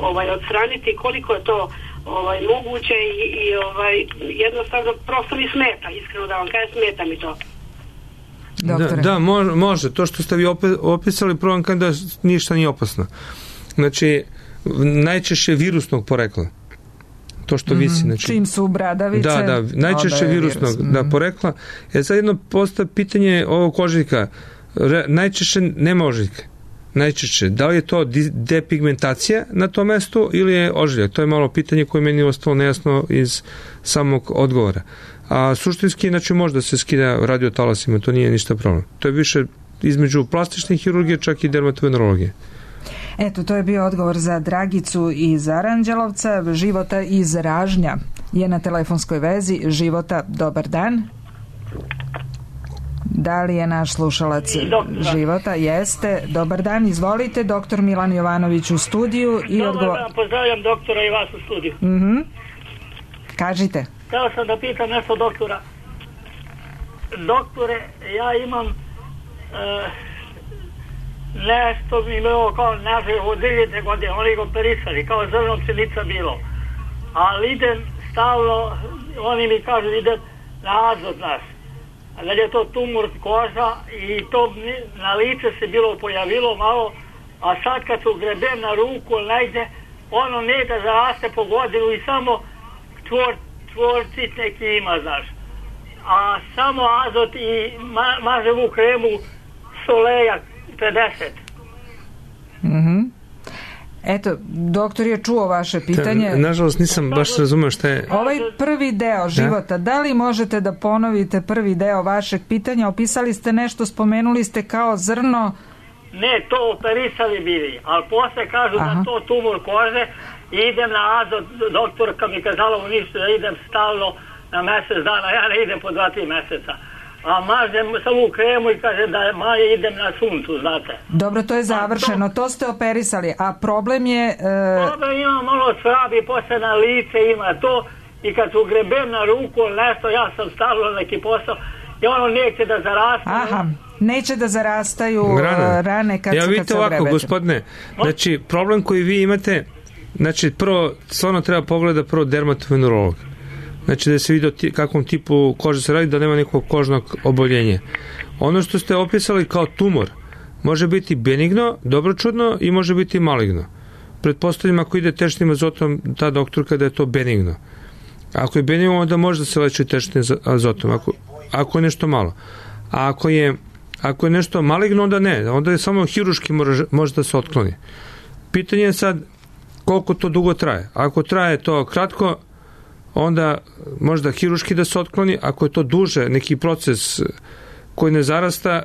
ovaj, odstraniti, koliko je to ovaj, moguće i, i ovaj, jednostavno prosto mi smeta, iskreno da vam kažem, smeta mi to. Da, da, može. To što ste vi opisali, prvo vam da ništa nije opasno. Znači, najčešće virusnog porekla. To što visi. Znači, čim su bradavice. Da, da, najčešće virusnog virus. Da, porekla. E sad jedno postoje pitanje ovog ožiljka. Najčešće nema ožiljka. Najčešće. Da li je to depigmentacija na tom mestu ili je ožiljak? To je malo pitanje koje meni ostalo nejasno iz samog odgovora. A suštinski, znači, može da se skida radiotalasima, to nije ništa problem. To je više između plastične hirurgije, čak i dermatovenerologije. Eto, to je bio odgovor za Dragicu iz Aranđelovca. Života iz Ražnja je na telefonskoj vezi. Života, dobar dan. Da li je naš slušalac Života? Jeste. Dobar dan, izvolite. Doktor Milan Jovanović u studiju. I dobar odgovor... dan, pozdravljam doktora i vas u studiju. Mm-hmm. Kažite. Htio sam da pitam nešto doktora. Doktore, ja imam e, nešto mi imao kao naziv od devet godine, oni ga operisali, kao zrno pšenica bilo. Ali idem stalno, oni mi kažu idem na azot naš. Da je to tumor koža i to na lice se bilo pojavilo malo, a sad kad se ugrebem na ruku, najde, ono ne da zaraste po godinu i samo čvor, čvorcit neki ima, znaš. A samo azot i ma, maževu kremu Soleja pedeset. Mhm. Eto, doktor je čuo vaše pitanje. Da, nažalost nisam baš razumeo šta je... Ovaj prvi deo Života, da li možete da ponovite prvi deo vašeg pitanja? Opisali ste nešto, spomenuli ste kao zrno... Ne, to operisali bili, ali posle kažu Aha. da to tumor kože i idem na azot, doktorka mi kazala u ništa da idem stalno na mesec dana, ja ne idem po dva, tri meseca. A mažem samu kremu i kaže da manje idem na suncu, znate. Dobro, to je završeno, to... to ste operisali, a problem je... E... Problem ima malo svabi, posle na lice ima to i kad se ugrebem na ruku nešto, ja sam stavilo neki posao i ono neće da zaraste. Aha, neće da zarastaju rane, rane kad, ja, se, kad se ogrebete. Ja vidite ovako, gospodine, znači problem koji vi imate, znači prvo, stvarno treba pogleda prvo dermatovenerolog. Znači da se vidi o kakvom tipu kože se radi, da nema nekog kožnog oboljenja. Ono što ste opisali kao tumor, Može biti benigno, dobročudno i može biti maligno. Pretpostavljam ako ide tečnim azotom ta doktorka da je to benigno. Ako je benigno, onda može da se leči tečnim azotom, ako, ako je nešto malo. A ako je, ako je nešto maligno, onda ne. Onda je samo hiruški može, može da se otkloni. Pitanje je sad koliko to dugo traje. Ako traje to kratko, onda možda hiruški da se otkloni. Ako je to duže, neki proces koji ne zarasta,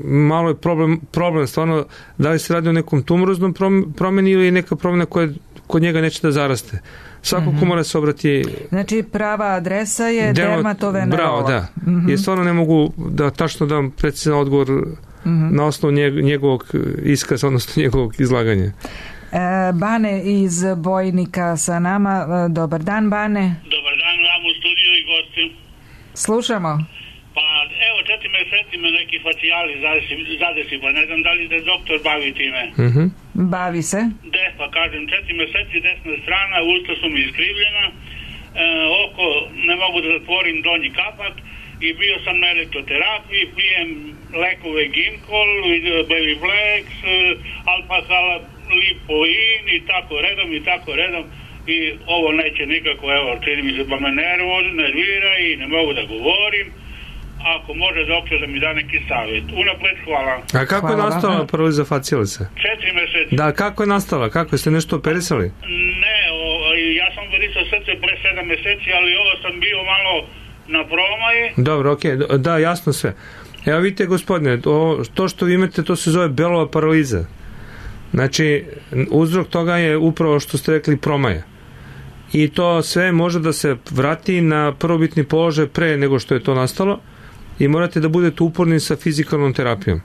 malo je problem, problem stvarno da li se radi o nekom tumoroznom promeni ili neka promena koja kod njega neće da zaraste. Svako mm-hmm. ko mora se obrati... Znači prava adresa je dermatovenerolog. Bravo, da. Mm-hmm. I stvarno ne mogu da tačno dam precizan odgovor mm-hmm. na osnovu njegovog iskaza, odnosno njegovog izlaganja. E, Bane iz Bojnika sa nama. Dobar dan, Bane. Dobar dan vam u studiju i gosti. Slušamo. Pa evo, četiri meseci me neki facijali zadesi, pa ne znam da li se doktor bavi time. Mm-hmm. Bavi se. De, pa kažem, četiri meseci desna strana, usta su mi iskrivljena, e, oko ne mogu da zatvorim donji kapak i bio sam na elektroterapiji, pijem lekove Ginkol, Belivlex, Alpakal, Lipoin i tako redom i tako redom i ovo neće nikako, evo, čini mi se pa me nervoz, nervira i ne mogu da govorim. Ako može doktor da mi da neki savjet. Unapred hvala. A kako hvala, je nastala paraliza facijalisa? Četiri meseci. Da, kako je nastala? Kako ste nešto operisali? Ne, o, ja sam operisao srce pre sedam meseci, ali ovo sam bio malo na promaji. Dobro, okej, okay. Da, jasno sve. Evo vidite, gospodine, to, to što vi imate, to se zove belova paraliza. Znači, uzrok toga je upravo što ste rekli promaja. I to sve može da se vrati na prvobitni položaj pre nego što je to nastalo. I morate da budete uporni sa fizikalnom terapijom. E,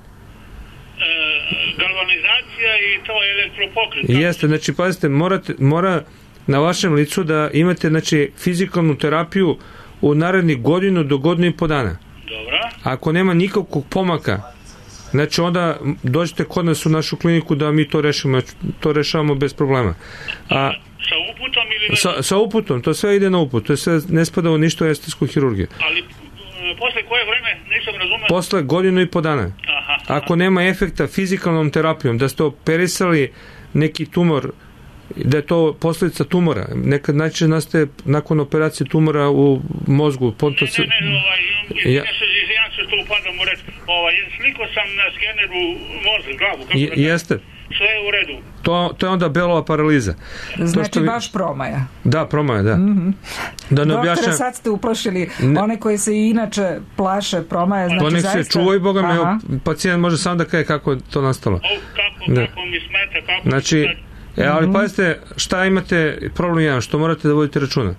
galvanizacija i to elektropokret. Jeste, znači, pazite, morate, mora na vašem licu da imate, znači, fizikalnu terapiju u narednih godinu do godinu i po dana. Dobro. Ako nema nikakvog pomaka, znači, onda dođete kod nas u našu kliniku da mi to rešimo, to rešavamo bez problema. A, sa uputom ili... Sa, sa uputom, to sve ide na uput, to sve ne spada u ništa u estetsku hirurgiju. Ali posle koje vreme, nisam razumeo? Posle godinu i po dana. Aha, aha. Ako nema efekta fizikalnom terapijom, da ste operisali neki tumor, da je to posljedica tumora, nekad najčešće nastaje nakon operacije tumora u mozgu. Ponto ne, ne, ne, ovaj, ja. Izvinjam se što upadam u reč. Ovaj, sliko sam na skeneru mozga, glavu. Kako Je, da jeste. Sve je u redu. To, to je onda belova paraliza. Znači vi... baš promaja. Da, promaja, da. Mm-hmm. Da ne Doktore, objašnjam... sad ste uplašili one koji se inače plaše promaja. Znači, to nek zaista... se čuva i Boga me, evo, pacijent može sam da kaže kako je to nastalo. O, kako, da. Kako mi smeta, kako znači, mi smeta. E, ali Mm-hmm. pazite, šta imate, problem jedan, što morate da vodite računa.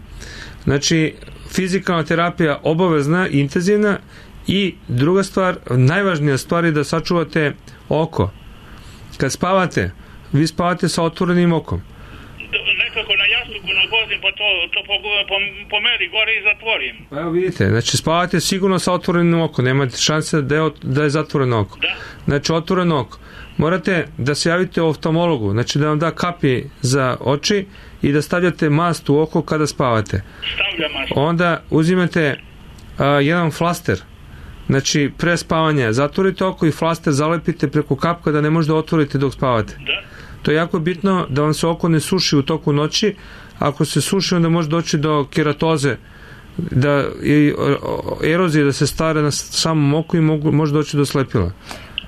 Znači, fizikalna terapija obavezna, intenzivna i druga stvar, najvažnija stvar je da sačuvate oko. Kad spavate, vi spavate sa otvorenim okom. Nekako na jastuku nagozim, pa to, to po, po, pomeri gore i zatvorim. Pa evo vidite, znači spavate sigurno sa otvorenim okom, nemate šanse da je, da je zatvoreno oko. Da. Znači otvoreno oko. Morate da se javite oftalmologu, znači da vam da kapi za oči i da stavljate mast u oko kada spavate. Stavljam mast. Onda uzimate a, jedan flaster, znači pre spavanja zatvorite oko i flaster zalepite preko kapka da ne možete otvoriti dok spavate. Da. To je jako bitno da vam se oko ne suši u toku noći. Ako se suši, onda može doći do keratoze, da i erozije da se stare na samom oku i mogu, može doći do slepila.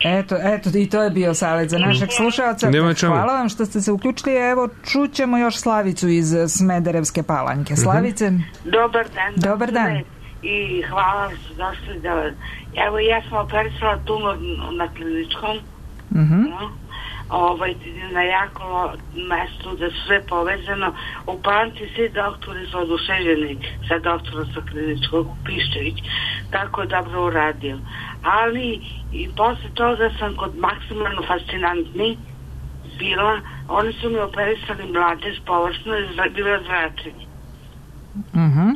Eto, eto, i to je bio savjet za našeg slušalca. Hvala vam što ste se uključili. Evo, čućemo još Slavicu iz Smederevske Palanjke. Slavice? Dobar dan. Dobar dan. I hvala što došli da... Evo, ja sam operisala tumor na kliničkom. Mhm. No, ovaj, na jako mestu da su sve povezano. U Palanci svi doktori su oduševljeni sa doktorom sa kliničkog, Piščević. Tako je dobro uradio. Ali i posle toga sam kod maksimalno fascinantni bila, oni su mi operisali mladež površno i bilo zračenje. Mhm.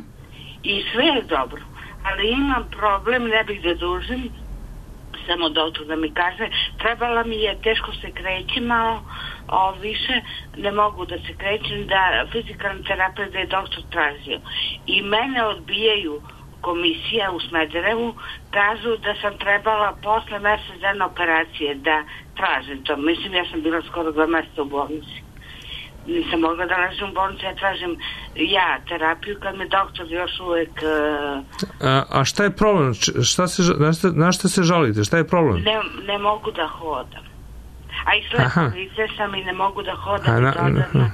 I sve je dobro, ali imam problem, ne bih da dužim, samo doktor da mi kaže, trebala mi je, teško se kreći malo, o, više ne mogu da se krećem, da fizikalna terapija da je doktor tražio. I mene odbijaju komisija u Smederevu kažu da sam trebala posle mesec dana operacije da tražim to. Mislim, ja sam bila skoro dva meseca u bolnici. Nisam mogla da ležim u bolnici, ja tražim ja terapiju kad me doktor još uvek... Uh, a, a šta je problem? Šta se, na, šta, na šta se žalite? Šta je problem? Ne, ne mogu da hodam. A i slepo lice sam i ne mogu da hodam. A, na, na,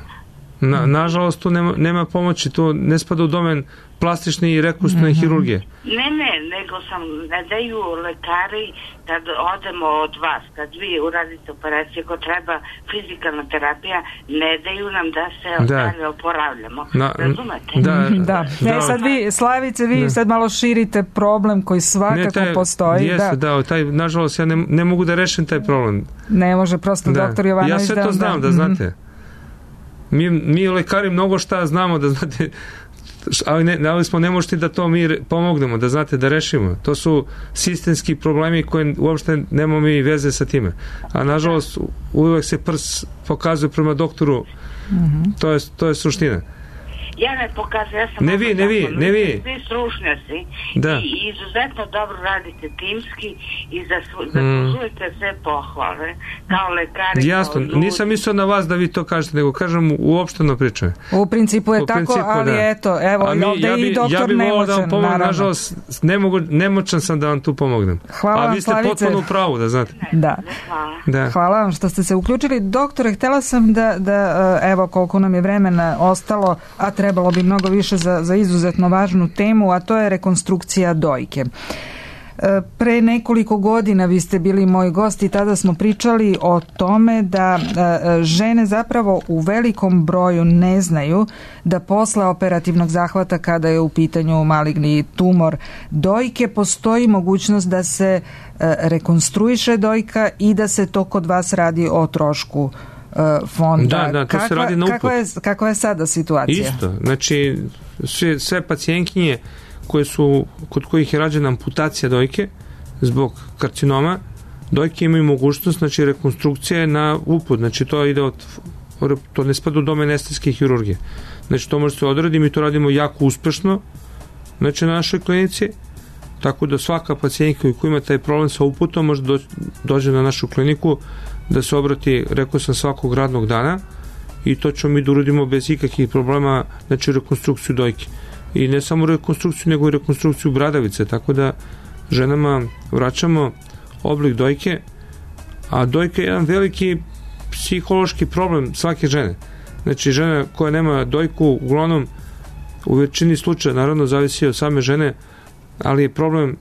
na, nažalost, tu nema, nema pomoći, tu ne spada u domen plastične i rekonstruktivne mm-hmm. hirurgije. Ne, ne, nego sam, ne daju lekari kad odemo od vas, kad vi uradite operaciju, ako treba fizikalna terapija, ne daju nam da se da. dalje oporavljamo. Na, razumete? Da, da. da. E, sad vi, Slavice, vi da. sad malo širite problem koji svakako ne, taj, postoji. Jeste, da, da taj, nažalost, ja ne, ne mogu da rešim taj problem. Ne može prosto da. doktor Jovanović da... Ja sve to znam, da, da znate. Mm-hmm. Mi, mi lekari mnogo šta znamo, da znate, ali ne, ali smo ne možete da to mi pomognemo, da znate, da rešimo. To su sistemski problemi koje uopšte nemamo mi veze sa time. A nažalost, uvek se prs pokazuje prema doktoru, mm-hmm. to, je, to je suština. Ja ne pokazujem, ja sam... Ne vi, ne vi, ne vi. Svi stručnjaci da. I izuzetno dobro radite timski i zaslužujete mm. sve pohvale kao lekari. Jasno, nisam mislio na vas da vi to kažete, nego kažem uopšteno pričaju. U principu je u tako, principu, ali da. Eto, evo, mi, ovde ja bi, i doktor ja bi nemoćan, da vam pomognem, naravno. Nažalost, ne mogu, nemoćan sam da vam tu pomognem. Hvala A vam, vi ste Slavice. potpuno u pravu, da znate. Da. Hvala. Da. Hvala vam što ste se uključili. Doktore, htela sam da, da evo koliko nam je vremena ostalo, a trebalo bi mnogo više za, za izuzetno važnu temu, a to je rekonstrukcija dojke. Pre nekoliko godina vi ste bili moj gost i tada smo pričali o tome da žene zapravo u velikom broju ne znaju da posle operativnog zahvata, kada je u pitanju maligni tumor dojke, postoji mogućnost da se rekonstruiše dojka i da se to kod vas radi o trošku fonda. Da, da, to kakva, se radi na uput. Kakva je, kakva je sada situacija? Isto, znači sve, sve pacijentkinje koje su, kod kojih je rađena amputacija dojke zbog karcinoma, dojke imaju mogućnost, znači rekonstrukcije na uput, znači to ide od, to ne spada u domen estetske hirurgije. Znači to može se odraditi, mi to radimo jako uspešno, znači na našoj klinici, tako da svaka pacijentka koja ima taj problem sa uputom može do, dođe na našu kliniku da se obrati, rekao sam, svakog radnog dana i to ćemo mi da uradimo bez ikakvih problema, znači rekonstrukciju dojke. I ne samo rekonstrukciju, nego i rekonstrukciju bradavice, tako da ženama vraćamo oblik dojke, a dojka je jedan veliki psihološki problem svake žene. Znači žena koja nema dojku, uglavnom u većini slučaja, naravno zavisi od same žene, ali je problem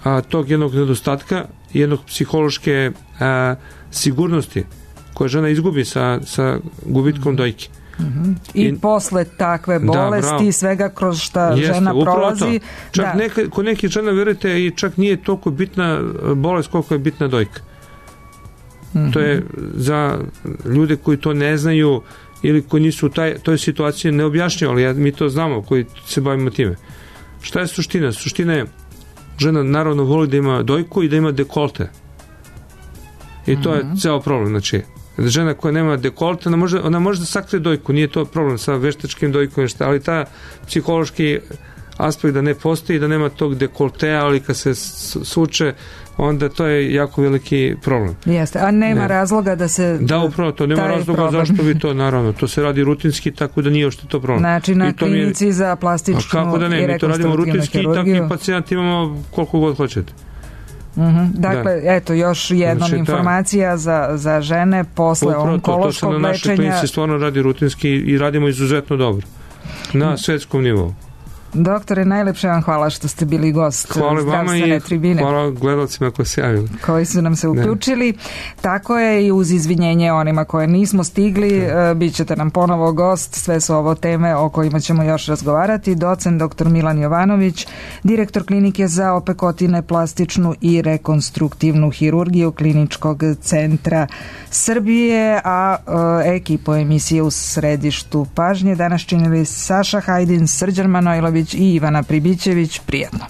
a, tog jednog nedostatka, jednog psihološke a, sigurnosti koje žena izgubi sa, sa gubitkom dojke. Mm-hmm. I, I posle takve bolesti i svega kroz šta jeste, žena prolazi. Čak da. neka, kod nekih žena, verujete, i čak nije toliko bitna bolest koliko je bitna dojka. Mm-hmm. To je za ljude koji to ne znaju ili koji nisu u taj, toj situaciji neobjašnjivo, ali ja, mi to znamo koji se bavimo time. Šta je suština? Suština je, žena naravno voli da ima dojku i da ima dekolte. I to mm-hmm. je ceo problem. Znači, žena koja nema dekolte, ona može, ona može da sakrije dojku, nije to problem sa veštačkim dojkom, ali ta psihološki aspekt da ne postoji, da nema tog dekoltea, ali kad se suče, onda to je jako veliki problem. Jeste, a nema ne. razloga da se... Da, upravo to, nema razloga problem. Zašto bi to, naravno, to se radi rutinski, tako da nije ošte to problem. Znači na klinici je, za plastičnu kako da ne, mi to radimo rutinski i takvi pacijenti imamo koliko god hoćete. Mm-hmm. Dakle, da. eto, još jednom znači, informacija za, za žene posle upravo onkološkog lečenja. To se na našoj klinici stvarno radi rutinski i radimo izuzetno dobro. Na svetskom nivou. Doktore, najlepše vam hvala što ste bili gost hvala zdravstvene tribine. Hvala gledalcima koji se javili. Koji su nam se uključili. Ne. Tako je i uz izvinjenje onima koje nismo stigli, ne. bit ćete nam ponovo gost. Sve su ovo teme o kojima ćemo još razgovarati. Docent doktor Milan Jovanović, direktor klinike za opekotine, plastičnu i rekonstruktivnu hirurgiju Kliničkog centra Srbije, a e, ekipu emisije u središtu pažnje danas činili Saša Hajdin, Srđan Manojlović i Ivana Pribićević. Prijatno.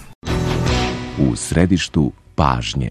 U središtu pažnje.